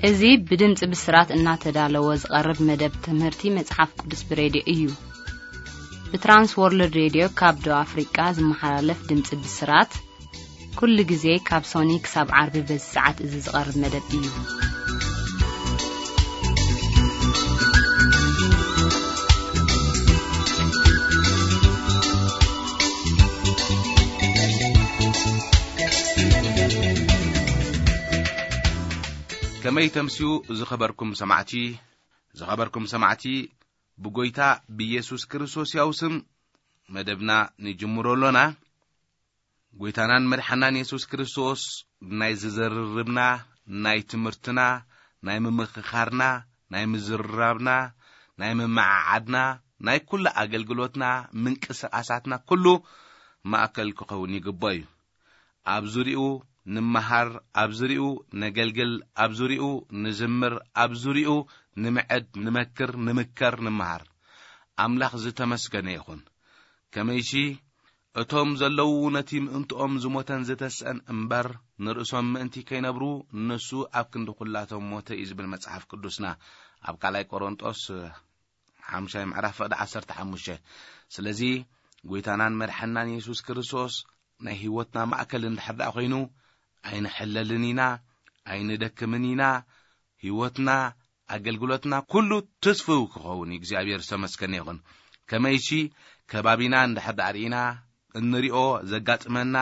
እዚ ብድምፂ ብስራት እናተዳለወ ዝቐርብ መደብ ትምህርቲ መጽሓፍ ቅዱስ ብሬድዮ እዩ። ብትራንስ ወርልድ ሬድዮ ካብ ደቡብ ኣፍሪቃ ዝመሓላለፍ ድምፂ ብስራት፣ ኩሉ ግዜ ካብ ሶኒ ክሳብ ዓርቢ በዚ ሰዓት እዚ ዝቐርብ መደብ እዩ። ከመይ ተምስዩ ዝኸበርኩም ሰማዕቲ፣ ዝኸበርኩም ሰማዕቲ፣ ብጎይታ ብኢየሱስ ክርስቶስ ያው ስም መደብና ንጅምሮ ኣሎና። ጎይታናን መድሓናን የሱስ ክርስቶስ ናይ ዝዘርርብና፣ ናይ ትምህርትና፣ ናይ ምምኽኻርና፣ ናይ ምዝርራብና፣ ናይ ምምዓዓድና፣ ናይ ኩሉ ኣገልግሎትና፣ ምንቅስቓሳትና ኩሉ ማእከል ክኸውን ይግቦ እዩ። ኣብ ዙሪኡ ንመሃር፣ ኣብ ዙሪኡ ነገልግል፣ ኣብ ዙሪኡ ንዝምር፣ ኣብ ዙሪኡ ንምዕድ፣ ንመክር፣ ንምከር፣ ንመሃር። ኣምላኽ ዝተመስገነ ይኹን። ከመይሲ እቶም ዘለዉ ነቲ ምእንትኦም ዝሞተን ዝተስአን እምበር፣ ንርእሶም ምእንቲ ከይነብሩ፣ ንሱ ኣብ ክንዲ ኩላቶም ሞተ እዩ ዝብል መጽሓፍ ቅዱስና ኣብ ካልኣይ ቆሮንጦስ ሓምሻይ ምዕራፍ ፍቕዲ ዓሰርተ ሓሙሽተ። ስለዚ ጎይታናን መድሓናን የሱስ ክርስቶስ ናይ ህይወትና ማእከል እንድሕር ደኣ ኮይኑ፣ ኣይንሕለልን ኢና፣ ኣይንደክምን ኢና። ህይወትና፣ ኣገልግሎትና ኩሉ ትስፍው ክኸውን እዩ። እግዚኣብሔር ዝተመስገነ ይኹን። ከመይሲ ከባቢና እንድሕር ደኣ ርኢና፣ እንሪኦ ዘጋጥመና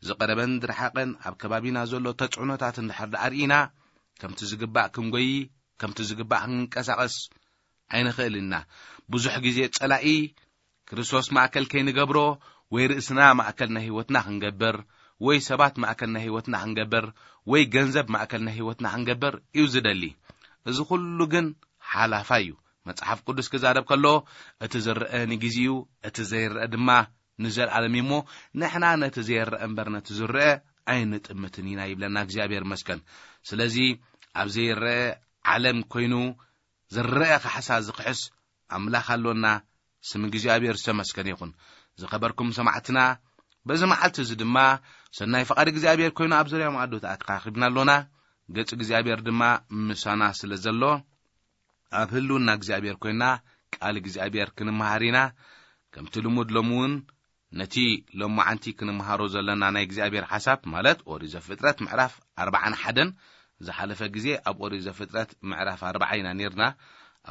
ዝቐረበን ዝረሓቐን ኣብ ከባቢና ዘሎ ተጽዕኖታት እንድሕር ደኣ ርኢና፣ ከምቲ ዝግባእ ክንጎይ፣ ከምቲ ዝግባእ ክንንቀሳቐስ ኣይንኽእልን ኢና። ብዙሕ ግዜ ጸላኢ ክርስቶስ ማእከል ከይንገብሮ፣ ወይ ርእስና ማእከል ናይ ህይወትና ክንገብር፣ ወይ ሰባት ማእከል ናይ ህይወትና ክንገብር፣ ወይ ገንዘብ ማእከል ናይ ህይወትና ክንገብር እዩ ዝደሊ። እዚ ኩሉ ግን ሓላፋይ እዩ። መጽሓፍ ቅዱስ ክዛረብ ከሎ፣ እቲ ዝረአ ንግዜኡ፣ እቲ ዘይረአ ድማ ንዘለኣለም እዩ እሞ፣ ንሕና ነቲ ዘይረአ እምበር ነቲ ዝረአ ኣይንጥምትን ኢና ይብለና እግዚኣብሔር ይመስገን። ስለዚ ኣብ ዘይረአ ዓለም ኮይኑ ዝረአ ካሕሳ ዝኽሕስ ኣምላኽ ኣሎና። ስም እግዚኣብሔር ዝተመስገነ ይኹን። ዝኸበርኩም ሰማዕትና፣ በዚ መዓልቲ እዚ ድማ ሰናይ ፍቓድ እግዚኣብሔር ኮይኑ ኣብ ዙርያ መኣዲ ተኣካኺብና ኣሎና። ገጽ እግዚኣብሔር ድማ ምሳና ስለ ዘሎ፣ ኣብ ህልውና እግዚኣብሔር ኮይና ቃል እግዚኣብሔር ክንመሃር ኢና። ከምቲ ልሙድ ሎሚ እውን ነቲ ሎማዓንቲ ክንመሃሮ ዘለና ናይ እግዚኣብሔር ሓሳብ፣ ማለት ኦሪት ዘፍጥረት ምዕራፍ ኣርባዓን ሓደን፣ ዝሓለፈ ግዜ ኣብ ኦሪት ዘፍጥረት ምዕራፍ ኣርባዓ ኢና ኔርና።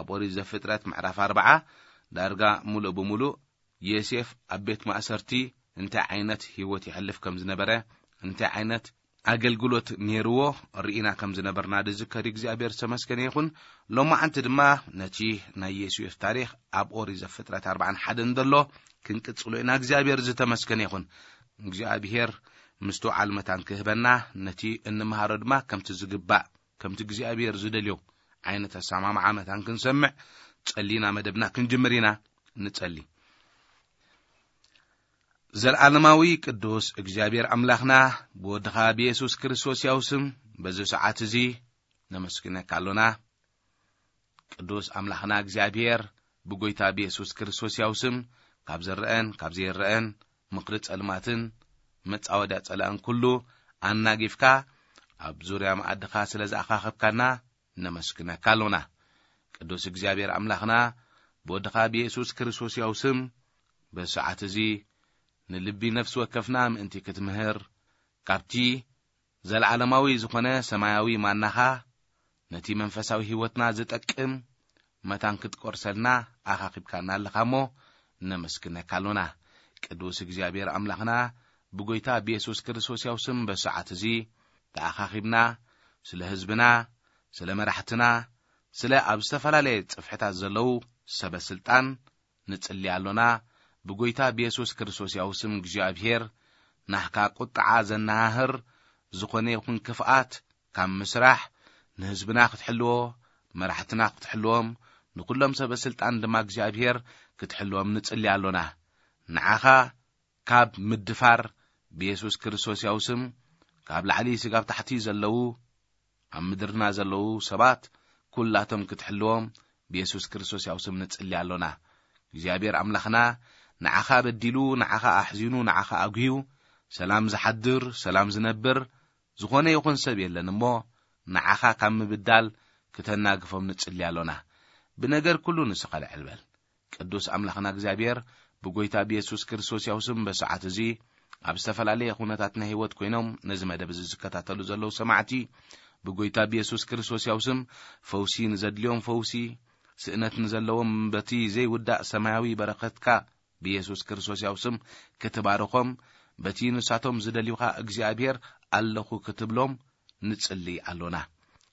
ኣብ ኦሪት ዘፍጥረት ምዕራፍ ኣርባዓ ዳርጋ ሙሉእ ብሙሉእ ዮሴፍ ኣብ ቤት ማእሰርቲ እንታይ ዓይነት ህይወት የሕልፍ ከም ዝነበረ፣ እንታይ ዓይነት ኣገልግሎት ኔርዎ ርኢና ከም ዝነበርና ድዝከር እግዚኣብሔር ዝተመስገነ ይኹን። ሎማዓንቲ ድማ ነቲ ናይ ዮሴፍ ታሪኽ ኣብ ኦሪት ዘፍጥረት ኣርባዓን ሓደን ዘሎ ክንቅጽሎ ኢና። እግዚኣብሔር ዝተመስገነ ይኹን። እግዚኣብሔር ምስትውዓል መታን ክህበና፣ ነቲ እንመሃሮ ድማ ከምቲ ዝግባእ፣ ከምቲ እግዚኣብሔር ዝደልዮ ዓይነት ኣሰማምዓ መታን ክንሰምዕ ጸሊና መደብና ክንጅምር ኢና። ንጸሊ። ዘለዓለማዊ ቅዱስ እግዚኣብሔር ኣምላኽና፣ ብወድኻ ብየሱስ ክርስቶስ ያው ስም በዚ ሰዓት እዚ ነመስግነካ ኣሎና። ቅዱስ ኣምላኽና እግዚኣብሔር፣ ብጎይታ ብየሱስ ክርስቶስ ያው ስም ካብ ዝረአን ካብ ዘይረአን ምኽሪ ጸልማትን መጻወድያ ጸላእን ኩሉ ኣናጊፍካ ኣብ ዙርያ መኣድኻ ስለ ዝኣኻኸብካና ነመስግነካ ኣሎና። ቅዱስ እግዚኣብሔር ኣምላኽና፣ ብወድኻ ብየሱስ ክርስቶስ ያው ስም በዚ ሰዓት እዚ ንልቢ ነፍሲ ወከፍና ምእንቲ ክትምህር፣ ካብቲ ዘለዓለማዊ ዝኾነ ሰማያዊ ማናኻ ነቲ መንፈሳዊ ህይወትና ዝጠቅም መታን ክትቆርሰልና ኣኻኺብካና ኣለኻ እሞ ነመስግነካ ኣሎና። ቅዱስ እግዚኣብሔር ኣምላኽና፣ ብጎይታ ብየሱስ ክርስቶስ ያው ስም በዚ ሰዓት እዚ ተኣኻኺብና ስለ ህዝብና፣ ስለ መራሕትና፣ ስለ ኣብ ዝተፈላለየ ጽፍሕታት ዘለዉ ሰበ ስልጣን ንጽሊ ኣሎና። ብጎይታ ብየሱስ ክርስቶስ ያው ስም እግዚኣብሔር፣ ናህካ ቁጥዓ ዘነሃህር ዝኾነ ይኹን ክፍኣት ካብ ምስራሕ ንህዝብና ክትሕልዎ፣ መራሕትና ክትሕልዎም፣ ንኩሎም ሰበ ስልጣን ድማ እግዚኣብሔር ክትሕልዎም ንጽሊ ኣሎና። ንዓኻ ካብ ምድፋር ብየሱስ ክርስቶስ ያው ስም ካብ ላዕሊ ስጋብ ታሕቲ ዘለዉ ኣብ ምድርና ዘለዉ ሰባት ኩላቶም ክትሕልዎም ብየሱስ ክርስቶስ ያው ስም ንጽሊ ኣሎና። እግዚኣብሔር ኣምላኽና ንዓኻ በዲሉ፣ ንዓኻ ኣሕዚኑ፣ ንዓኻ ኣጉህዩ ሰላም ዝሓድር፣ ሰላም ዝነብር ዝኾነ ይኹን ሰብ የለን እሞ፣ ንዓኻ ካብ ምብዳል ክተናግፎም ንጽሊ ኣሎና። ብነገር ኩሉ ንስኻ ልዕል በል። ቅዱስ ኣምላኽና እግዚኣብሔር ብጎይታ ብየሱስ ክርስቶስ ያው ስም በሰዓት እዚ ኣብ ዝተፈላለየ ኩነታት ናይ ህይወት ኮይኖም ነዚ መደብ እዚ ዝከታተሉ ዘለዉ ሰማዕቲ ብጎይታ ብየሱስ ክርስቶስ ያው ስም ፈውሲ ንዘድልዮም ፈውሲ፣ ስእነት ንዘለዎም በቲ ዘይውዳእ ሰማያዊ በረኸትካ ብየሱስ ክርስቶስ ያው ስም ክትባርኾም፣ በቲ ንሳቶም ዝደልዩኻ እግዚኣብሔር ኣለኹ ክትብሎም ንጽሊ ኣሎና።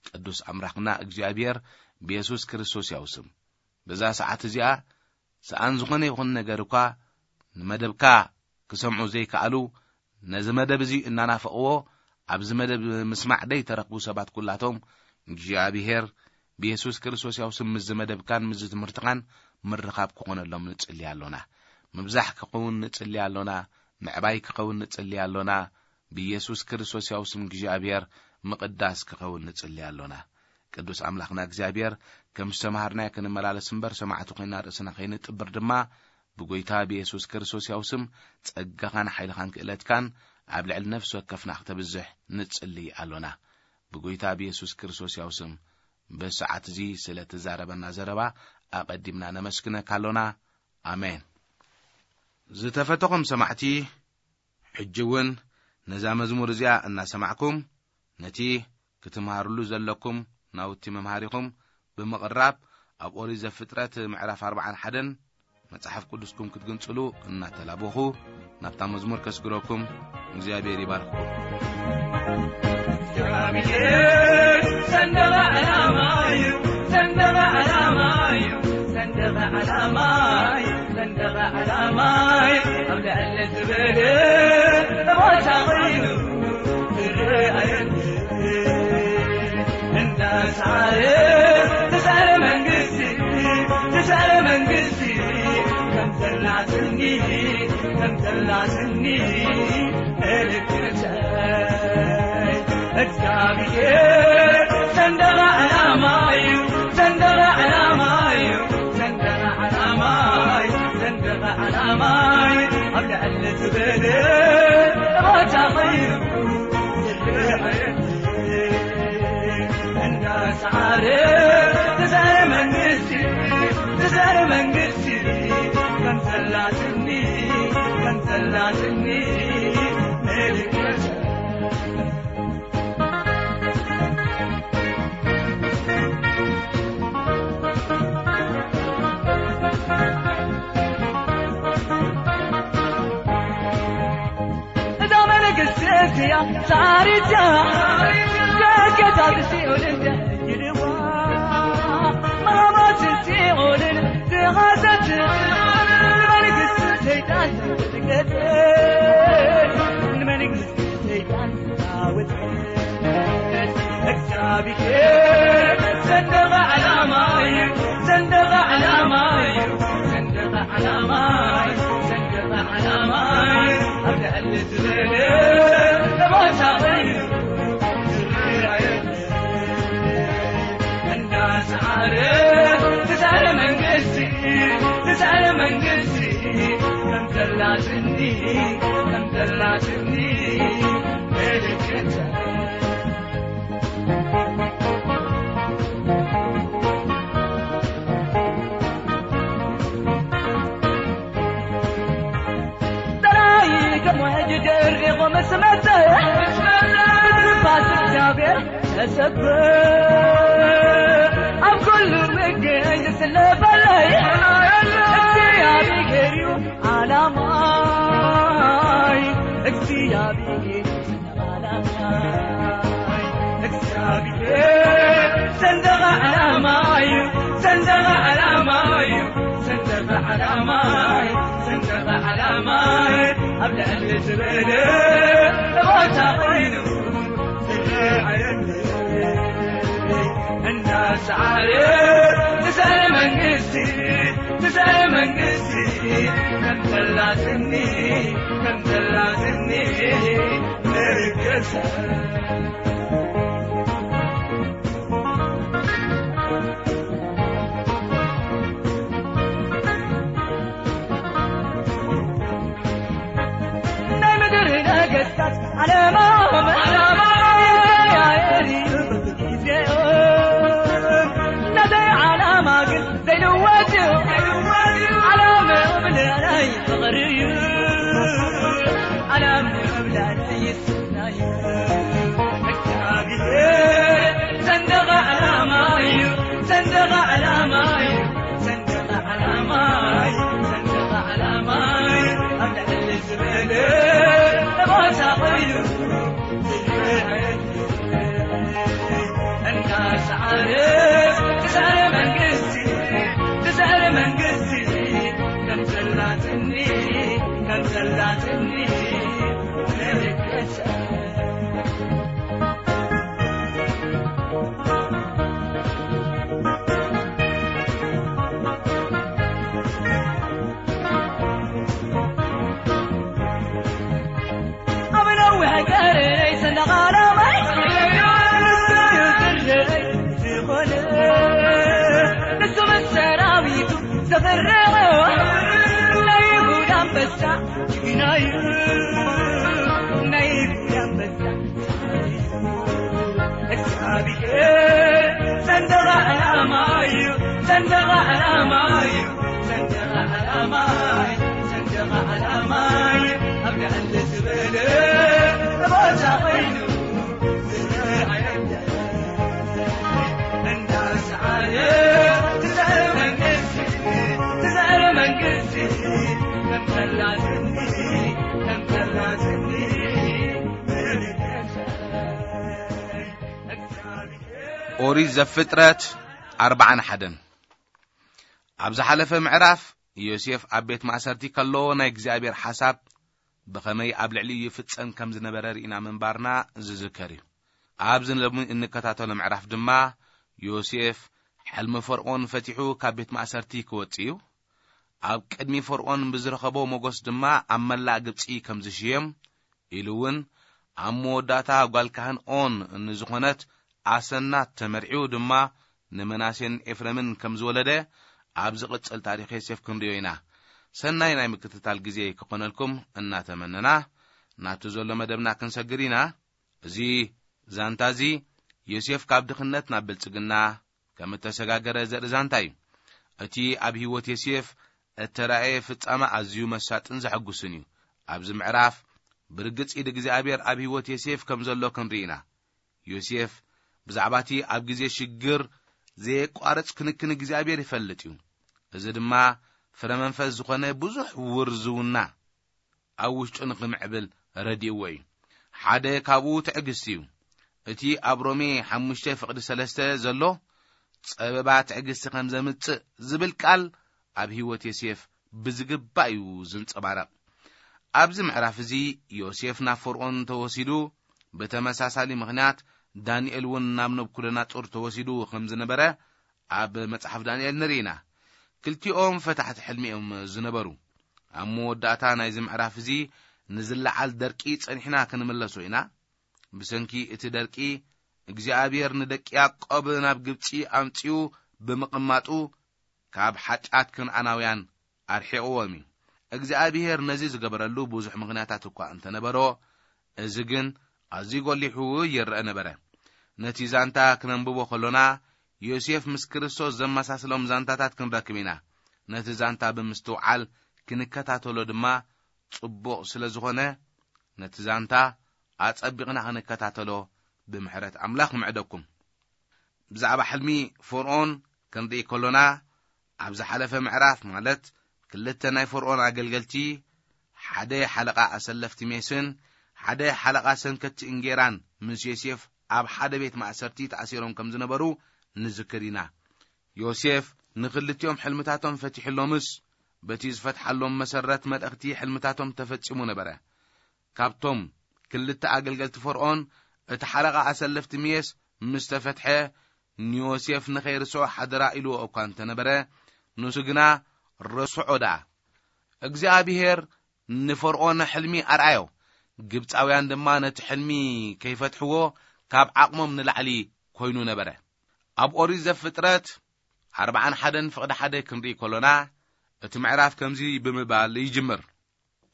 ቅዱስ ኣምላኽና እግዚኣብሔር ብየሱስ ክርስቶስ ያው ስም በዛ ሰዓት እዚኣ ሰኣን ዝኾነ ይኹን ነገር እኳ ንመደብካ ክሰምዑ ዘይከኣሉ፣ ነዚ መደብ እዚ እናናፈቕዎ ኣብዚ መደብ ምስማዕ ደይተረኽቡ ሰባት ኩላቶም እግዚኣብሔር ብየሱስ ክርስቶስ ያው ስም ምስዚ መደብካን ምስዚ ትምህርትኻን ምርኻብ ክኾነሎም ንጽሊ ኣሎና። ምብዛሕ ክኸውን ንጽሊ ኣሎና። ምዕባይ ክኸውን ንጽሊ ኣሎና። ብየሱስ ክርስቶስ ያው ስም እግዚኣብሔር ምቕዳስ ክኸውን ንጽሊ ኣሎና። ቅዱስ ኣምላኽና እግዚኣብሔር ከም ዝተምሃርናዮ ክንመላለስ እምበር ሰማዕቲ ኮይና ርእስና ከይንጥብር ድማ ብጎይታ ብየሱስ ክርስቶስ ያው ስም ጸጋኻን ሓይልኻን ክእለትካን ኣብ ልዕሊ ነፍሲ ወከፍና ክተብዝሕ ንጽሊ ኣሎና። ብጎይታ ብየሱስ ክርስቶስ ያው ስም በሰዓት እዚ ስለ ትዛረበና ዘረባ ኣቐዲምና ነመስግነካ ኣሎና። ኣሜን። ዝተፈተኹም ሰማዕቲ፣ ሕጂ እውን ነዛ መዝሙር እዚኣ እናሰማዕኩም ነቲ ክትምሃርሉ ዘለኩም ናውቲ መምሃሪኹም ብምቕራብ ኣብ ኦሪት ዘፍጥረት ምዕራፍ ኣርባዓን ሓደን መጽሓፍ ቅዱስኩም ክትግንጽሉ እናተላበኹ ናብታ መዝሙር ከስግረኩም። እግዚኣብሔር ይባርኽኩም። ሰንደቕ ዓላማ እዩ፣ ሰንደቕ ዓላማ እዩ፣ ሰንደቕ ዓላማ እዩ፣ ሰንደቕ ዓላማ እዩ። ኣብ ልዕሊ ዝበለ ቦታ ኮይኑ ዝረኣየኒ እንዳሳረ ትዛረ መንግስቲ፣ ትዛረ መንግስቲ ከም ዘላትኒ፣ ከም ዘላትኒ ምልክተይ እግዚኣብሔር ሰንደቕ ዓላማ እዩ፣ ሰንደቕ ዓላማ እዩ፣ ሰንደቕ ዓላማ እዩ፣ ሰንደቕ ዓላማ እዩ። ኣብ ልዕሊ ዝበለ ቦታ ኮይኑ ዝረኣየኒ እንዳሳረ ትዛረ መንግስቲ፣ ትዛረ መንግስቲ ከም ዘላትኒ፣ ከም ዘላትኒ ምልክት እዛ መንግስቲ እዚኣ ጻሪታ ደገታት ሲኦልን ይልዋ ማማት ሲኦልን ዝሓዘት መንግስቲ ሰይጣን ዝገጠ ንመንግስቲ ሰይጣን ዝዓወተ እግዚኣብሔር ሰንደቕ ዓላማ እዩ፣ ሰንደቕ ዓላማ እዩ፣ ሰንደቕ ዓላማ እዩ፣ ሰንደቕ ዓላማ እዩ። ኣብ ልዕሊ ዝበለ ቦታ ኮይኑ ዝረኣየ እንዳሰዓረ ትዛረ መንግስቲ፣ ትዛረ መንግስቲ ከም ዘላትኒ፣ ከም ዘላትኒ ምልክት ጥራይ ከም ውሕጅ ደሪቑ ምስ መጸ፣ ብትንፋስ እግዚኣብሔር ተሰብእ። ኣብ ኩሉ ምገኝ ዝስለፈለይ እግዚኣብሔር እዩ ዓላማይ፣ እግዚኣብሔር እዩ ዓላማይ። እግዚኣብሔር ሰንደቕ ዓላማ እዩ፣ ሰንደቕ ዓላማ እዩ፣ ሰንደቕ ዓላማ እዩ፣ ሰንደቕ ዓላማ እዩ። ኣብ ልዕሊ ዝበለ ቦታ ኮይኑ ዝረኣየኒ እንዳሰዓረ ትዛረ መንግስቲ፣ ትዛረ መንግስቲ ከም ዘላትኒ፣ ከም ዘላትኒ ምልክት ናይ ምድሪ ነገስታት ዓለማም ዓለማም ይቀያየር እዩ። ሰንደቕ ዓላማ እዩ፣ ሰንደቕ ዓላማ እዩ፣ ሰንደቕ ዓላማ እዩ፣ ሰንደቕ ዓላማ እዩ፣ ኣብ ልዕሊ ዝበለ ቦታ ኮይኑ እንዳሰዓረ ትዛረ መንግስቲ፣ ትዛረ መንግስቲ ከም ዘላትኒ፣ ከም ዘላትኒ ምልክት ኣብ ነዊሕ ቀረይ ሰንደቕ ዓላማይ ዝኾነ ንሱ ምስ ሰራዊቱ ዘኽርዕዎ ናይ ይሁዳ ኣንበሳ ጅግና እዩ፣ ናይ ይሁዳ ኣንበሳ እግዚኣብሔር ሰንደቕ ዓላማ እዩ፣ ሰንደቕ ዓላማ እዩ፣ ሰንደቕ ዓላማ እዩ፣ ሰንደቕ ዓላማ እዩ። ኣብ ልዕሊ ዝበለ ቦታ ኮይኑ ዝረኣየና እንዳሰዓረ ትዛረ መንግስቲ፣ ትዛረ መንግስቲ ከም ዘላትኒ፣ ከም ዘላትኒ ኦሪት ዘፍጥረት ኣርባዓን ሓደን። ኣብ ዝሓለፈ ምዕራፍ ዮሴፍ ኣብ ቤት ማእሰርቲ ከሎ ናይ እግዚኣብሔር ሓሳብ ብኸመይ ኣብ ልዕሊኡ ይፍጸም ከም ዝነበረ ርኢና ምንባርና ዝዝከር እዩ። ኣብዚ ሎሚ እንከታተሎ ምዕራፍ ድማ ዮሴፍ ሕልሚ ፈርኦን ፈቲሑ ካብ ቤት ማእሰርቲ ክወጽእ እዩ። ኣብ ቅድሚ ፈርኦን ብዝረኸቦ ሞገስ ድማ ኣብ መላእ ግብጺ ከም ዝሽየም፣ ኢሉ እውን ኣብ መወዳእታ ጓል ካህን ኦን ንዝኾነት ኣሰናት ተመርዒው ድማ ንመናሴን ኤፍሬምን ከም ዝወለደ ኣብ ዝቕጽል ታሪኽ ዮሴፍ ክንርእዮ ኢና። ሰናይ ናይ ምክትታል ግዜ ክኾነልኩም እናተመነና ናቱ ዘሎ መደብና ክንሰግር ኢና። እዚ ዛንታ እዚ ዮሴፍ ካብ ድኽነት ናብ ብልጽግና ከም እተሰጋገረ ዘርኢ ዛንታ እዩ። እቲ ኣብ ህይወት ዮሴፍ እተራእየ ፍጻመ ኣዝዩ መሳጥን ዘሐጉስን እዩ። ኣብዚ ምዕራፍ ብርግጽ ኢድ እግዚኣብሔር ኣብ ህይወት ዮሴፍ ከም ዘሎ ክንርኢ ኢና። ዮሴፍ ብዛዕባ እቲ ኣብ ግዜ ሽግር ዘየቋርጽ ክንክን እግዚኣብሔር ይፈልጥ እዩ። እዚ ድማ ፍረ መንፈስ ዝኾነ ብዙሕ ውርዝውና ኣብ ውሽጡ ንኽምዕብል ረዲእዎ እዩ። ሓደ ካብኡ ትዕግስቲ እዩ። እቲ ኣብ ሮሜ ሓሙሽተ ፍቕዲ ሰለስተ ዘሎ ጸበባ ትዕግስቲ ከም ዘምጽእ ዝብል ቃል ኣብ ህይወት ዮሴፍ ብዝግባእ እዩ ዝንጸባረቕ። ኣብዚ ምዕራፍ እዚ ዮሴፍ ናብ ፈርኦን ተወሲዱ፣ ብተመሳሳሊ ምኽንያት ዳንኤል እውን ናብ ነብኩደናጾር ተወሲዱ ከም ዝነበረ ኣብ መጽሓፍ ዳንኤል ንርኢ ኢና። ክልቲኦም ፈታሕቲ ሕልሚ እዮም ዝነበሩ። ኣብ መወዳእታ ናይዚ ምዕራፍ እዚ ንዝለዓል ደርቂ ጸኒሕና ክንምለሶ ኢና። ብሰንኪ እቲ ደርቂ እግዚኣብሔር ንደቂ ያዕቆብ ናብ ግብጺ ኣምጺኡ ብምቕማጡ ካብ ሓጢኣት ከነኣናውያን ኣርሒቕዎም እዩ። እግዚኣብሔር ነዚ ዝገበረሉ ብዙሕ ምኽንያታት እኳ እንተነበሮ፣ እዚ ግን ኣዝዩ ጎሊሑ ይረአ ነበረ። ነቲ ዛንታ ክነንብቦ ከሎና ዮሴፍ ምስ ክርስቶስ ዘመሳስሎም ዛንታታት ክንረክብ ኢና። ነቲ ዛንታ ብምስትውዓል ክንከታተሎ ድማ ጽቡቕ ስለ ዝኾነ፣ ነቲ ዛንታ ኣጸቢቕና ክንከታተሎ ብምሕረት ኣምላኽ ምዕደኩም። ብዛዕባ ሕልሚ ፈርኦን ክንርኢ ከሎና፣ ኣብ ዝሓለፈ ምዕራፍ፣ ማለት ክልተ ናይ ፈርኦን ኣገልገልቲ፣ ሓደ ሓለቓ ኣሰለፍቲ ሜስን ሓደ ሓለቓ ሰንከቲ እንጌራን ምስ ዮሴፍ ኣብ ሓደ ቤት ማእሰርቲ ተኣሲሮም ከም ዝነበሩ ንዝክር ኢና። ዮሴፍ ንኽልቲኦም ሕልምታቶም ፈቲሕሎምስ፣ በቲ ዝፈትሓሎም መሰረት መልእኽቲ ሕልምታቶም ተፈጺሙ ነበረ። ካብቶም ክልተ ኣገልገልቲ ፈርኦን፣ እቲ ሓለቓ ኣሰለፍቲ ሜስ ምስ ተፈትሐ፣ ንዮሴፍ ንኸይርስዖ ሓደራ ኢልዎ እኳ እንተነበረ፣ ንሱ ግና ረስዖ ደኣ። እግዚኣብሄር ንፈርኦን ሕልሚ ኣርኣዮ። ግብጻውያን ድማ ነቲ ሕልሚ ከይፈትሕዎ ካብ ዓቕሞም ንላዕሊ ኮይኑ ነበረ። ኣብ ኦሪት ዘፍጥረት ኣርባዓን ሓደን ፍቕዲ ሓደ ክንርኢ ከሎና፣ እቲ ምዕራፍ ከምዚ ብምባል ይጅምር።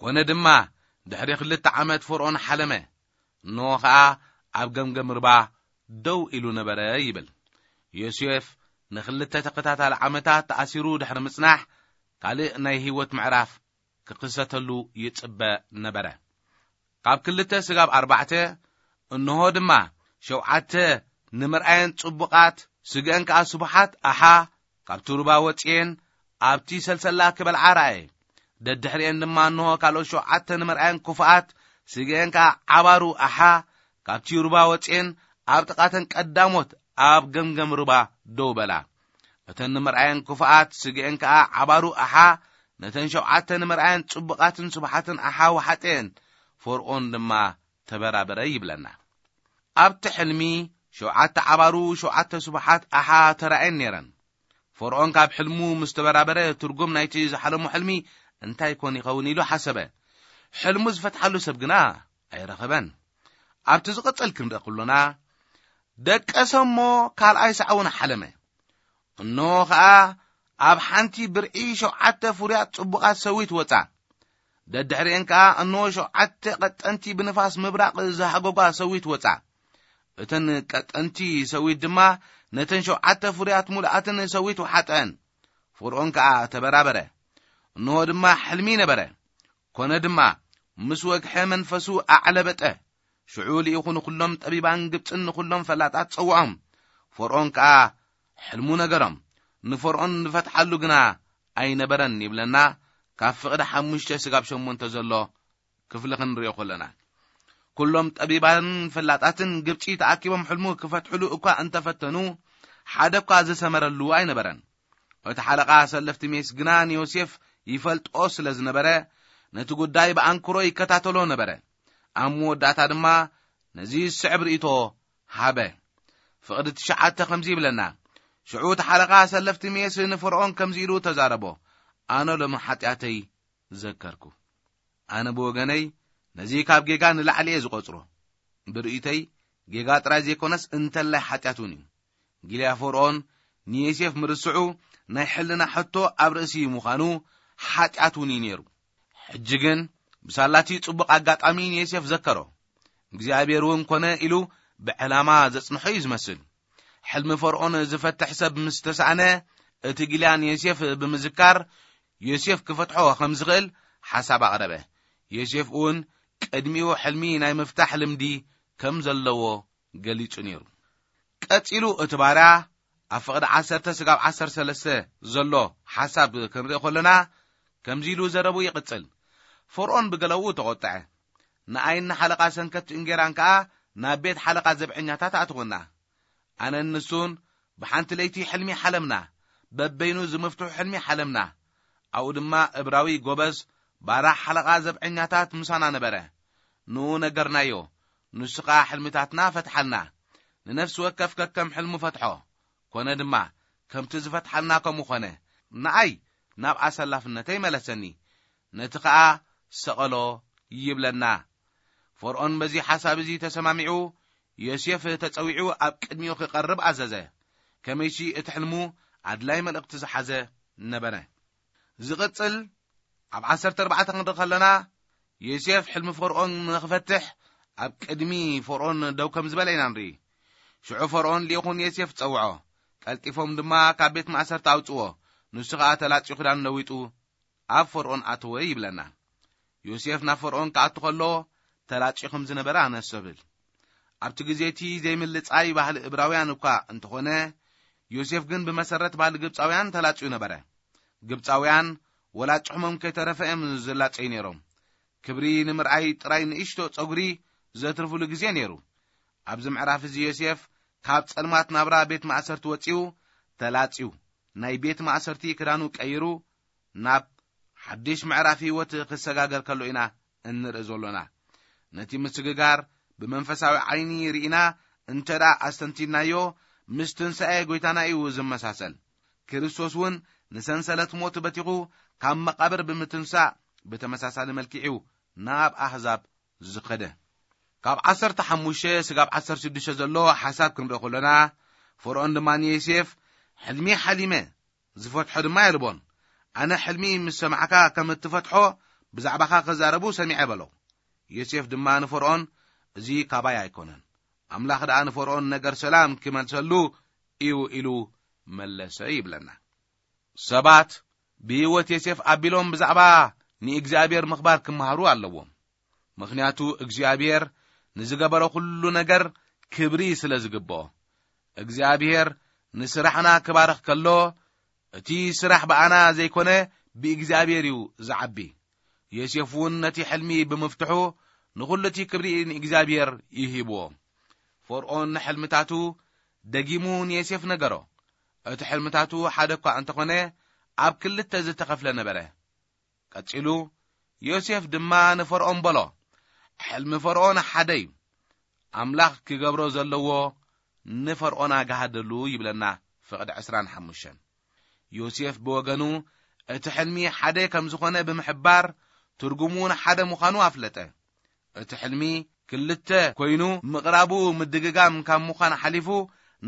ኮነ ድማ፣ ድሕሪ ክልተ ዓመት ፈርኦን ሓለመ፣ እንሆ ኸኣ ኣብ ገምገም ርባ ደው ኢሉ ነበረ ይብል። ዮሴፍ ንኽልተ ተኸታታሊ ዓመታት ተኣሲሩ ድሕሪ ምጽናሕ፣ ካልእ ናይ ህይወት ምዕራፍ ክኽሰተሉ ይጽበ ነበረ። ካብ ክልተ ስጋብ ኣርባዕተ፣ እንሆ ድማ ሸውዓተ ንምርኣየን ጽቡቓት፣ ስግአን ከኣ ስቡሓት ኣሓ፣ ካብቲ ሩባ ወጽኤን ኣብቲ ሰልሰላ ክበልዓ ረኣየ። ደድሕሪኤን ድማ እንሆ ካልኦት ሸውዓተ ንምርኣየን ክፉኣት፣ ስግአን ከኣ ዓባሩ ኣሓ፣ ካብቲ ሩባ ወጽኤን ኣብ ጥቓተን ቀዳሞት ኣብ ገምገም ሩባ ደው በላ። እተን ንምርኣየን ክፉኣት፣ ስግአን ከኣ ዓባሩ ኣሓ፣ ነተን ሸውዓተ ንምርኣየን ጽቡቓትን ስቡሓትን ኣሓ ወሓጠየን። ፈርኦን ድማ ተበራበረ ይብለና። ኣብቲ ሕልሚ ሸውዓተ ዓባሩ ሸውዓተ ስቡሓት ኣሓ ተራእየን ነይረን። ፈርኦን ካብ ሕልሙ ምስ ተበራበረ፣ ትርጉም ናይቲ ዝሓለሞ ሕልሚ እንታይ ኮን ይኸውን ኢሉ ሓሰበ። ሕልሙ ዝፈትሓሉ ሰብ ግና ኣይረኸበን። ኣብቲ ዝቕጽል ክንርኢ ከሎና፣ ደቀሰ እሞ ካልኣይ ሳዕ እውን ሓለመ። እንሆ ኸኣ ኣብ ሓንቲ ብርዒ ሸውዓተ ፍሩያት ጽቡቓት ሰዊት ወጻ። ደድሕሪኤን ከኣ እንሆ ሸውዓተ ቀጠንቲ ብንፋስ ምብራቕ ዝሃጎጓ ሰዊት ወጻ። እተን ቀጠንቲ ሰዊት ድማ ነተን ሸውዓተ ፍሩያት ምሉኣትን ሰዊት ወሓጠን። ፈርኦን ከኣ ተበራበረ። እንሆ ድማ ሕልሚ ነበረ። ኮነ ድማ ምስ ወግሐ መንፈሱ ኣዕለበጠ። ሽዑ ልኢኹ ንኹሎም ጠቢባን ግብጽን ንኹሎም ፈላጣት ጸውዖም። ፈርኦን ከኣ ሕልሙ ነገሮም። ንፈርኦን ንፈትሓሉ ግና ኣይነበረን ይብለና። ካብ ፍቕዲ ሓሙሽተ ስጋብ ሸሞንተ ዘሎ ክፍሊ ክንሪኦ ከለና፣ ኩሎም ጠቢባን ፈላጣትን ግብጺ ተኣኪቦም ሕልሙ ክፈትሕሉ እኳ እንተፈተኑ፣ ሓደ እኳ ዝሰመረሉ ኣይነበረን። እቲ ሓለቓ ሰለፍቲ ሜስ ግና ንዮሴፍ ይፈልጦ ስለ ዝነበረ፣ ነቲ ጉዳይ ብኣንክሮ ይከታተሎ ነበረ። ኣብ መወዳእታ ድማ ነዚ ዝስዕብ ርእይቶ ሃበ። ፍቕዲ ትሽዓተ ከምዚ ይብለና፣ ሽዑ እቲ ሓለቓ ሰለፍቲ ሜስ ንፈርኦን ከምዚ ኢሉ ተዛረቦ፣ ኣነ ሎሚ ሓጢኣተይ ዘከርኩ። ኣነ ብወገነይ ነዚ ካብ ጌጋ ንላዕሊ እየ ዝቖጽሮ። ብርእይተይ ጌጋ ጥራይ ዘይኮነስ እንተላይ ሓጢኣት እውን እዩ። ጊልያ ፈርኦን ንዮሴፍ ምርስዑ ናይ ሕልና ሕቶ ኣብ ርእሲ ምዃኑ ሓጢኣት እውን እዩ ነይሩ። ሕጂ ግን ብሳላቲ ጽቡቕ ኣጋጣሚ ንዮሴፍ ዘከሮ። እግዚኣብሔር እውን ኮነ ኢሉ ብዕላማ ዘጽንሖ እዩ ዝመስል። ሕልሚ ፈርኦን ዝፈትሕ ሰብ ምስ ተሳእነ፣ እቲ ጊልያ ንዮሴፍ ብምዝካር ዮሴፍ ክፈትሖ ከም ዝኽእል ሓሳብ ኣቕረበ። ዮሴፍ እውን ቅድሚኡ ሕልሚ ናይ ምፍታሕ ልምዲ ከም ዘለዎ ገሊጹ ነይሩ። ቀጺሉ እቲ ባርያ ኣብ ፍቕዲ ዓሰርተ ስጋብ ዓሰርተ ሰለስተ ዘሎ ሓሳብ ክንርኢ ከለና፣ ከምዚ ኢሉ ዘረቡ ይቕጽል። ፈርኦን ብገለኡ ተቖጥዐ። ንኣይን ንሓለቓ ሰንከት እንጌራን ከኣ ናብ ቤት ሓለቓ ዘብዐኛታት ኣእትወና። ኣነን ንሱን ብሓንቲ ለይቲ ሕልሚ ሓለምና፣ በበይኑ ዝምፍትሑ ሕልሚ ሓለምና። ኣብኡ ድማ እብራዊ ጎበዝ ባራሕ ሓለቓ ዘብዐኛታት ምሳና ነበረ። ንኡ ነገርናዮ፣ ንሱ ኸኣ ሕልምታትና ፈትሓልና። ንነፍሲ ወከፍ ከከም ሕልሙ ፈትሖ። ኮነ ድማ፣ ከምቲ ዝፈትሓልና ከምኡ ኾነ። ንኣይ ናብ ኣሰላፍነተይ መለሰኒ፣ ነቲ ኸኣ ሰቐሎ ይብለና። ፈርኦን በዚ ሓሳብ እዚ ተሰማሚዑ፣ ዮሴፍ ተጸዊዑ ኣብ ቅድሚኡ ክቐርብ ኣዘዘ። ከመይሲ እቲ ሕልሙ ኣድላይ መልእኽቲ ዝሓዘ ነበረ። ዝቕጽል ኣብ ዓሰርተ ኣርባዕተ ክንርኢ ከለና፣ ዮሴፍ ሕልሚ ፈርኦን ንኽፈትሕ ኣብ ቅድሚ ፈርኦን ደው ከም ዝበለ ኢና ንርኢ። ሽዑ ፈርኦን ልኢኹ ንዮሴፍ ጸውዖ። ቀልጢፎም ድማ ካብ ቤት ማእሰርቲ ኣውጽዎ። ንሱ ኸኣ ተላጽዩ ክዳን ለዊጡ ኣብ ፈርኦን ኣተወ ይብለና። ዮሴፍ ናብ ፈርኦን ክኣቱ ከሎ ተላጽዩ ከም ዝነበረ ኣነስተብህል። ኣብቲ ግዜ እቲ ዘይምልጻይ ባህሊ እብራውያን እኳ እንተኾነ፣ ዮሴፍ ግን ብመሰረት ባህሊ ግብጻውያን ተላጽዩ ነበረ። ግብጻውያን ወላ ጭሕሞም ከይተረፈ እዮም ዝላጸዩ ነይሮም። ክብሪ ንምርኣይ ጥራይ ንእሽቶ ጸጉሪ ዘትርፍሉ ግዜ ነይሩ። ኣብዚ ምዕራፍ እዚ ዮሴፍ ካብ ጸልማት ናብራ ቤት ማእሰርቲ ወጺኡ፣ ተላጽዩ፣ ናይ ቤት ማእሰርቲ ክዳኑ ቀይሩ፣ ናብ ሓድሽ ምዕራፍ ህይወት ክሰጋገር ከሎ ኢና እንርኢ ዘሎና። ነቲ ምስግጋር ብመንፈሳዊ ዓይኒ ርኢና እንተ ደኣ ኣስተንቲንናዮ፣ ምስ ትንሳኤ ጐይታና እዩ ዝመሳሰል። ክርስቶስ እውን ንሰንሰለት ሞት በቲኹ ካብ መቓብር ብምትንሳእ ብተመሳሳሊ መልክዕ እዩ ናብ ኣህዛብ ዝኸደ። ካብ ዓሰርተ ሓሙሽተ ስጋብ ዓሰርተ ሽዱሽተ ዘሎ ሓሳብ ክንርኢ ከሎና፣ ፈርኦን ድማ ንዮሴፍ፣ ሕልሚ ሓሊመ፣ ዝፈትሖ ድማ የልቦን። ኣነ ሕልሚ ምስ ሰማዕካ ከም እትፈትሖ ብዛዕባኻ ክዛረቡ ሰሚዐ በሎ። ዮሴፍ ድማ ንፈርኦን፣ እዚ ካባይ ኣይኮነን። ኣምላኽ ደኣ ንፈርኦን ነገር ሰላም ክመልሰሉ እዩ ኢሉ መለሰ ይብለና። ሰባት ብህይወት ዮሴፍ ኣቢሎም ብዛዕባ ንእግዚኣብሔር ምኽባር ክመሃሩ ኣለዎም። ምኽንያቱ እግዚኣብሔር ንዝገበሮ ኩሉ ነገር ክብሪ ስለ ዝግብኦ። እግዚኣብሔር ንስራሕና ክባርኽ ከሎ፣ እቲ ስራሕ ብኣና ዘይኮነ ብእግዚኣብሔር እዩ ዝዓቢ። ዮሴፍ እውን ነቲ ሕልሚ ብምፍትሑ ንኹሉ እቲ ክብሪ ንእግዚኣብሔር ይሂብዎ። ፈርዖን ንሕልምታቱ ደጊሙ ንዮሴፍ ነገሮ። እቲ ሕልምታቱ ሓደ እኳ እንተኾነ ኣብ ክልተ ዝተኸፍለ ነበረ። ቀጺሉ ዮሴፍ ድማ ንፈርዖን በሎ፣ ሕልሚ ፈርዖን ሓደ እዩ። ኣምላኽ ክገብሮ ዘለዎ ንፈርዖን ኣጋሃደሉ ይብለና ፍቕዲ ዕስራን ሓሙሽተን። ዮሴፍ ብወገኑ እቲ ሕልሚ ሓደ ከም ዝኾነ ብምሕባር ትርጉሙ እውን ሓደ ምዃኑ ኣፍለጠ። እቲ ሕልሚ ክልተ ኮይኑ ምቕራቡ ምድግጋም ካብ ምዃን ሓሊፉ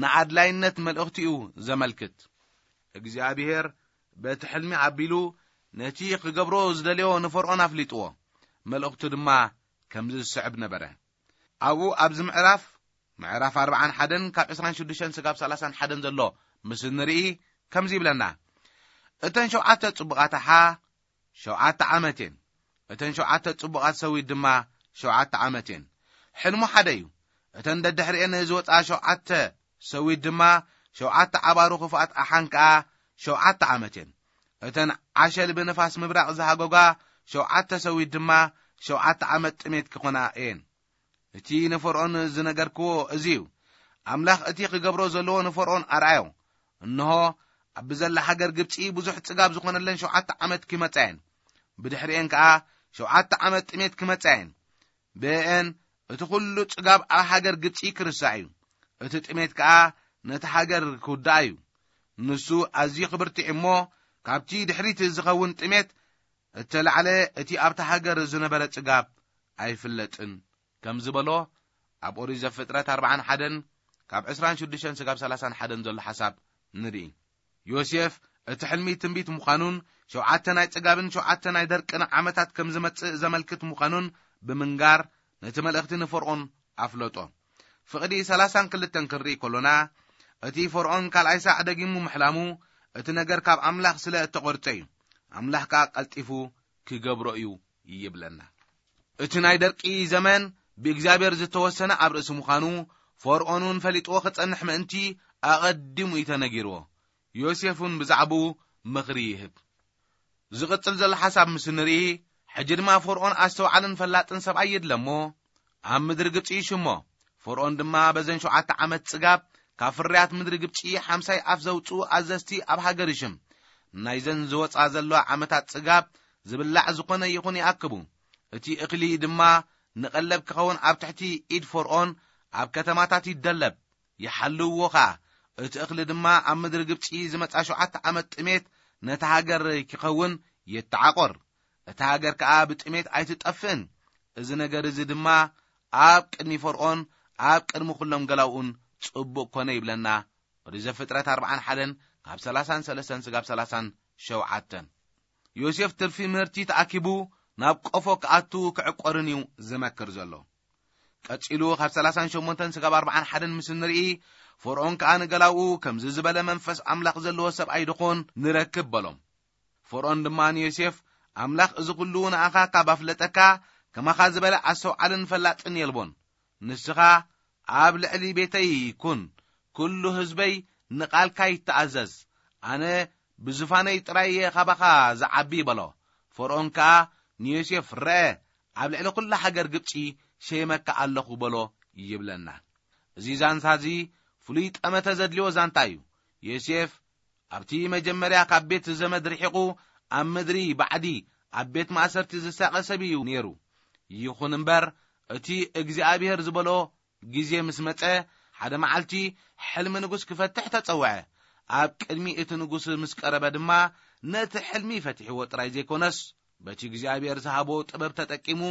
ንኣድላይነት መልእኽቲ እዩ ዘመልክት። እግዚኣብሔር በቲ ሕልሚ ኣቢሉ ነቲ ክገብሮ ዝደልዮ ንፈርዖን ኣፍሊጥዎ። መልእኽቱ ድማ ከምዚ ዝስዕብ ነበረ። ኣብኡ ኣብዚ ምዕራፍ፣ ምዕራፍ ኣርብዓን ሓደን ካብ ዕስራን ሽዱሽተን ስጋብ ሰላሳን ሓደን ዘሎ ምስ እንርኢ ከምዚ ይብለና። እተን ሸውዓተ ጽቡቓት ኣሓ ሸውዓተ ዓመት እየን። እተን ሸውዓተ ጽቡቓት ሰዊት ድማ ሸውዓተ ዓመት እየን። ሕልሙ ሓደ እዩ። እተን ደድሕሪኤን ዝወጻ ሸውዓተ ሰዊት ድማ ሸውዓተ ዓባሩ ክፉኣት ኣሓን ከኣ ሸውዓተ ዓመት እየን። እተን ዓሸል ብንፋስ ምብራቕ ዝሃጎጋ ሸውዓተ ሰዊት ድማ ሸውዓተ ዓመት ጥሜት ክኾና እየን። እቲ ንፈርዖን ዝነገርክዎ እዚ እዩ። ኣምላኽ እቲ ክገብሮ ዘለዎ ንፈርዖን ኣርኣዮ። እንሆ፣ ኣብ ብዘላ ሃገር ግብጺ ብዙሕ ጽጋብ ዝኾነለን ሸውዓተ ዓመት ክመጻ እየን። ብድሕሪኤን ከኣ ሸውዓተ ዓመት ጥሜት ክመጻ እየን። ብእኤን እቲ ኩሉ ጽጋብ ኣብ ሃገር ግብጺ ክርሳዕ እዩ። እቲ ጥሜት ከኣ ነቲ ሃገር ክውዳእ እዩ። ንሱ ኣዝዩ ክብርትዕ እሞ፣ ካብቲ ድሕሪት ዝኸውን ጥሜት እተላዕለ እቲ ኣብታ ሃገር ዝነበረ ጽጋብ ኣይፍለጥን። ከም ዝበሎ ኣብ ኦሪት ዘፍጥረት ኣርብዓን ሓደን ካብ ዕስራን ሽዱሽተን ስጋብ ሰላሳን ሓደን ዘሎ ሓሳብ ንርኢ። ዮሴፍ እቲ ሕልሚ ትንቢት ምዃኑን ሸውዓተ ናይ ጽጋብን ሸውዓተ ናይ ደርቅን ዓመታት ከም ዝመጽእ ዘመልክት ምዃኑን ብምንጋር ነቲ መልእኽቲ ንፈርዖን ኣፍለጦ። ፍቕዲ ሰላሳን ክልተን ክንርኢ ከሎና፣ እቲ ፈርዖን ካልኣይ ሳዕ ደጊሙ ምሕላሙ እቲ ነገር ካብ ኣምላኽ ስለ እተቖርጸ እዩ። ኣምላኽ ከኣ ቀልጢፉ ክገብሮ እዩ ይብለና። እቲ ናይ ደርቂ ዘመን ብእግዚኣብሔር ዝተወሰነ ኣብ ርእሲ ምዃኑ፣ ፈርዖን እውን ፈሊጥዎ ክጸንሕ ምእንቲ ኣቐዲሙ እዩ ተነጊርዎ። ዮሴፍ እውን ብዛዕባኡ ምኽሪ ይህብ። ዝቕጽል ዘሎ ሓሳብ ምስ ንርኢ፣ ሕጂ ድማ ፈርዖን ኣስተውዓልን ፈላጥን ሰብኣይ የድለ እሞ፣ ኣብ ምድሪ ግብጺ ይሽሞ። ፈርዖን ድማ በዘን ሸውዓተ ዓመት ጽጋብ ካብ ፍርያት ምድሪ ግብጺ ሓምሳይ ኣፍ ዘውጽኡ ኣዘዝቲ ኣብ ሃገር ይሽም። ናይዘን ዝወጻ ዘለዋ ዓመታት ጽጋብ ዝብላዕ ዝኾነ ይኹን ይኣክቡ። እቲ እኽሊ ድማ ንቐለብ ክኸውን ኣብ ትሕቲ ኢድ ፈርዖን ኣብ ከተማታት ይደለብ፣ ይሓልውዎ ኸኣ። እቲ እኽሊ ድማ ኣብ ምድሪ ግብጺ ዝመጻ ሸውዓተ ዓመት ጥሜት ነታ ሃገር ክኸውን ይተዓቖር። እታ ሃገር ከኣ ብጥሜት ኣይትጠፍእን። እዚ ነገር እዚ ድማ ኣብ ቅድሚ ፈርዖን፣ ኣብ ቅድሚ ኩሎም ገላውኡን ጽቡቕ ኮነ ይብለና። ኦሪት ዘፍጥረት ኣርብዓን ሓደን ካብ ሰላሳን ሰለስተን ስጋብ ሰላሳን ሸውዓተን። ዮሴፍ ትርፊ ምህርቲ ተኣኪቡ ናብ ቆፎ ክኣቱ ክዕቆርን እዩ ዝመክር ዘሎ። ቀጺሉ ካብ ሰላሳን ሸሞንተን ስጋብ ኣርብዓን ሓደን ምስ ንርኢ፣ ፈርዖን ከኣ ንገላውኡ፣ ከምዚ ዝበለ መንፈስ ኣምላኽ ዘለዎ ሰብኣይ ድኾን ንረክብ በሎም። ፈርዖን ድማ ንዮሴፍ፣ ኣምላኽ እዚ ኩሉ ንኣኻ ካብ ኣፍለጠካ፣ ከማኻ ዝበለ ኣስተውዓልን ፈላጥን የልቦን። ንስኻ ኣብ ልዕሊ ቤተይ ኩን፣ ኩሉ ህዝበይ ንቓልካ ይተኣዘዝ። ኣነ ብዙፋነይ ጥራይ እየ ካባኻ ዝዓቢ በሎ። ፈርዖን ከኣ ንዮሴፍ፣ ረአ፣ ኣብ ልዕሊ ኩላ ሃገር ግብጺ ሸይመካ ኣለኹ በሎ ይብለና። እዚ ዛንታ እዚ ፍሉይ ጠመተ ዘድልዮ ዛንታ እዩ። ዮሴፍ ኣብቲ መጀመርያ ካብ ቤት ዘመድ ርሒቑ ኣብ ምድሪ ባዕዲ ኣብ ቤት ማእሰርቲ ዝሳቐ ሰብ እዩ ነይሩ። ይኹን እምበር እቲ እግዚኣብሔር ዝበሎ ግዜ ምስ መጸ፣ ሓደ መዓልቲ ሕልሚ ንጉስ ክፈትሕ ተጸውዐ። ኣብ ቅድሚ እቲ ንጉስ ምስ ቀረበ ድማ ነቲ ሕልሚ ፈቲሕዎ ጥራይ ዘይኮነስ፣ በቲ እግዚኣብሔር ዝሃቦ ጥበብ ተጠቂሙ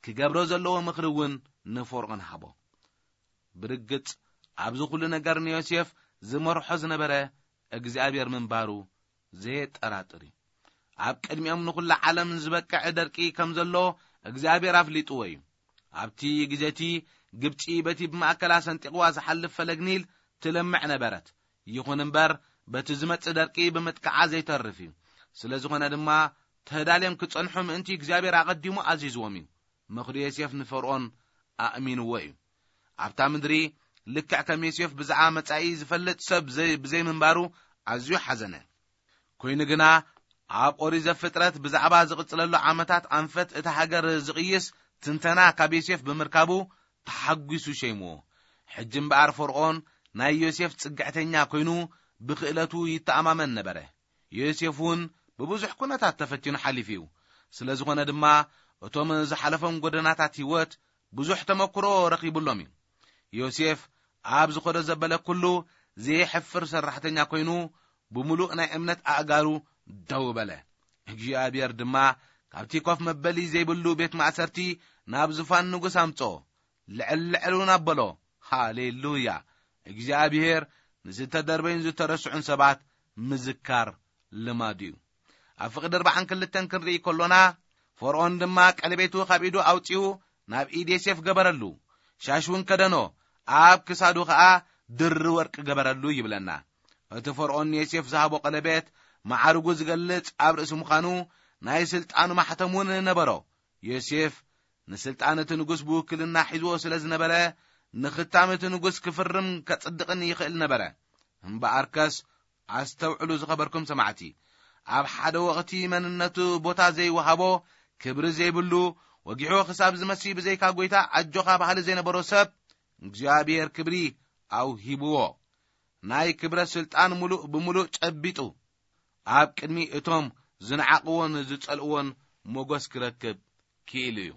ክገብሮ ዘለዎ ምኽሪ እውን ንፈርዖን ሃቦ። ብርግጽ ኣብዚ ኩሉ ነገር ንዮሴፍ ዝመርሖ ዝነበረ እግዚኣብሔር ምንባሩ ዘየጠራጥር እዩ። ኣብ ቅድሚኦም ንኹላ ዓለም ዝበቅዕ ደርቂ ከም ዘሎ እግዚኣብሔር ኣፍሊጥዎ እዩ። ኣብቲ ግዜ እቲ ግብጺ በቲ ብማእከላ ሰንጢቕዋ ዝሓልፍ ፈለግ ኒል ትለምዕ ነበረት። ይኹን እምበር በቲ ዝመጽእ ደርቂ ብምጥቃዓ ዘይተርፍ እዩ። ስለ ዝኾነ ድማ ተዳልዮም ክጸንሑ ምእንቲ እግዚኣብሔር ኣቐዲሙ ኣዚዝዎም እዩ። መኽዱ ዮሴፍ ንፈርኦን ኣእሚንዎ እዩ። ኣብታ ምድሪ ልክዕ ከም ዮሴፍ ብዛዕባ መጻኢ ዝፈልጥ ሰብ ዘይ-፣ ብዘይምንባሩ ኣዝዩ ሓዘነ። ኮይኑ ግና ኣብ ኦሪት ዘፍጥረት ብዛዕባ ዝቕጽለሉ ዓመታት ኣንፈት እታ ሃገር ዝቕይስ ትንተና ካብ ዮሴፍ ብምርካቡ ተሓጒሱ ሸይምዎ። ሕጂ እምበኣር ፈርኦን ናይ ዮሴፍ ጽግዕተኛ ኮይኑ ብክእለቱ ይተኣማመን ነበረ። ዮሴፍ እውን ብብዙሕ ኩነታት ተፈቲኑ ሓሊፉ እዩ። ስለ ዝኾነ ድማ እቶም ዝሓለፎም ጎደናታት ህይወት ብዙሕ ተመክሮ ረኺቡሎም እዩ። ዮሴፍ ኣብ ዝኾዶ ዘበለ ኩሉ ዘይሕፍር ሰራሕተኛ ኮይኑ ብምሉእ ናይ እምነት ኣእጋሩ ደው በለ። እግዚኣብሔር ድማ ካብቲ ኮፍ መበሊ ዘይብሉ ቤት ማእሰርቲ ናብ ዙፋን ንጉስ ኣምጽኦ። ልዕል ልዕል እውን ኣበሎ። ሃሌሉያ! እግዚኣብሔር ንዝተደርበዩን ዝተረስዑን ሰባት ምዝካር ልማዱ እዩ። ኣብ ፍቕዲ ኣርባዓን ክልተን ክንርኢ ከሎና፣ ፈርኦን ድማ ቀለቤቱ ካብ ኢዱ ኣውጺኡ ናብ ኢድ ዮሴፍ ገበረሉ፣ ሻሽ እውን ከደኖ፣ ኣብ ክሳዱ ኸኣ ድሪ ወርቂ ገበረሉ ይብለና። እቲ ፈርኦን ንዮሴፍ ዝሃቦ ቀለቤት ማዕርጉ ዝገልጽ ኣብ ርእሲ ምዃኑ፣ ናይ ስልጣኑ ማሕተም እውን ነበሮ። ዮሴፍ ንስልጣን እቲ ንጉስ ብውክልና ሒዝዎ ስለ ዝነበረ፣ ንኽታም እቲ ንጉስ ክፍርም ከጽድቕን ይኽእል ነበረ። እምበኣርከስ ኣስተውዕሉ ዝኸበርኩም ሰማዕቲ፣ ኣብ ሓደ ወቕቲ መንነቱ ቦታ ዘይወሃቦ፣ ክብሪ ዘይብሉ፣ ወጊሑ ክሳብ ዝመሲ ብዘይካ ጐይታ ኣጆኻ በሃሊ ዘይነበሮ ሰብ፣ እግዚኣብሔር ክብሪ ኣውሂብዎ። ናይ ክብረት ስልጣን ምሉእ ብምሉእ ጨቢጡ፣ ኣብ ቅድሚ እቶም ዝነዓቕዎን ዝጸልእዎን ሞገስ ክረክብ ክኢሉ እዩ።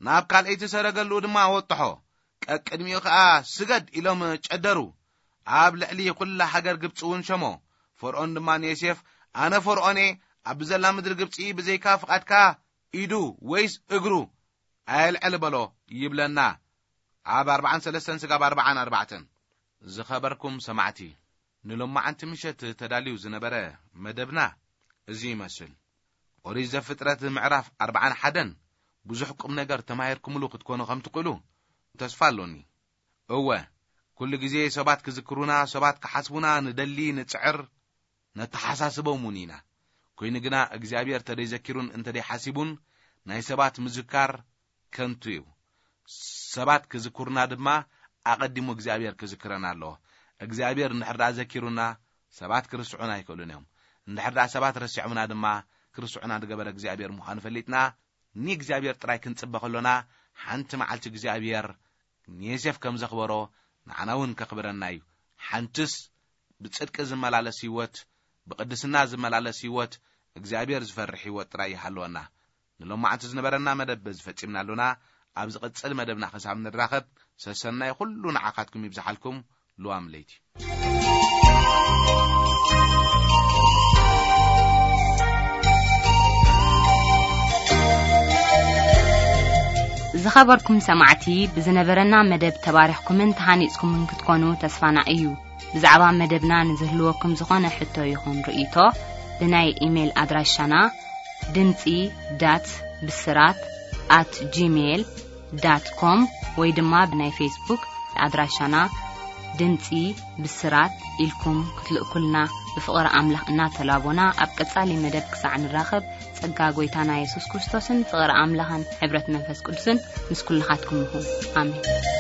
ናብ ካልኣይቲ ሰረገሉ ድማ ወጥሖ። ቀቅድሚኡ ኸኣ ስገድ ኢሎም ጨደሩ። ኣብ ልዕሊ ኹላ ሃገር ግብጺ እውን ሸሞ። ፈርኦን ድማ ንዮሴፍ፣ ኣነ ፈርኦን እየ፣ ኣብ ዘላ ምድሪ ግብጺ ብዘይካ ፍቓድካ ኢዱ ወይስ እግሩ ኣየልዕል በሎ ይብለና። ኣብ ኣርባዓን ሰለስተን ስጋብ ኣርባዓን ኣርባዕተን። ዝኸበርኩም ሰማዕቲ፣ ንሎማዓንቲ ምሸት ተዳልዩ ዝነበረ መደብና እዚ ይመስል። ኦሪት ዘፍጥረት ምዕራፍ ኣርባዓን ሓደን ብዙሕ ቁም ነገር ተማሂርኩምሉ ክትኮኑ ከም ትኽእሉ ተስፋ ኣሎኒ። እወ፣ ኩሉ ግዜ ሰባት ክዝክሩና፣ ሰባት ክሓስቡና ንደሊ፣ ንጽዕር፣ ነተሓሳስቦም እውን ኢና። ኮይኑ ግና እግዚኣብሔር እንተደይዘኪሩን እንተደይሓሲቡን ናይ ሰባት ምዝካር ከንቱ እዩ። ሰባት ክዝክሩና ድማ ኣቐዲሙ እግዚኣብሔር ክዝክረና ኣለዎ። እግዚኣብሔር እንድሕር ደኣ ዘኪሩና ሰባት ክርስዑና ኣይክእሉን እዮም። እንድሕር ደኣ ሰባት ረሲዖምና ድማ ክርስዑና ዝገበረ እግዚኣብሔር ምዃኑ ፈሊጥና ንእግዚኣብሔር ጥራይ ክንጽበ ከሎና ሓንቲ መዓልቲ እግዚኣብሔር ንዮሴፍ ከም ዘኽበሮ ንዓና እውን ከኽብረና እዩ። ሓንትስ ብጽድቂ ዝመላለስ ህይወት፣ ብቕድስና ዝመላለስ ህይወት፣ እግዚኣብሔር ዝፈርሕ ህይወት ጥራይ ይሃልወና። ንሎማዓንቲ ዝነበረና መደብ በዚ ፈጺምና ኣሎና። ኣብ ዝቕጽል መደብና ክሳብ ንራኸብ ሰሰናይ ኩሉ ንዓኻትኩም ይብዝሓልኩም። ልዋም ለይቲ። ዝኸበርኩም ሰማዕቲ፣ ብዝነበረና መደብ ተባሪኽኩምን ተሃኒጽኩምን ክትኮኑ ተስፋና እዩ። ብዛዕባ መደብና ንዝህልወኩም ዝኾነ ሕቶ ይኹን ርእይቶ፣ ብናይ ኢሜይል ኣድራሻና ድምጺ ዳት ብስራት ኣት ጂሜይል ዳት ኮም ወይ ድማ ብናይ ፌስቡክ ኣድራሻና ድምጺ ብስራት ኢልኩም ክትልእኩልና ብፍቕሪ ኣምላኽ እናተላቦና፣ ኣብ ቀጻሊ መደብ ክሳዕ ንራኸብ፣ ጸጋ ጐይታና የሱስ ክርስቶስን ፍቕሪ ኣምላኽን ሕብረት መንፈስ ቅዱስን ምስ ኩልኻትኩም ይኹን። ኣሜን።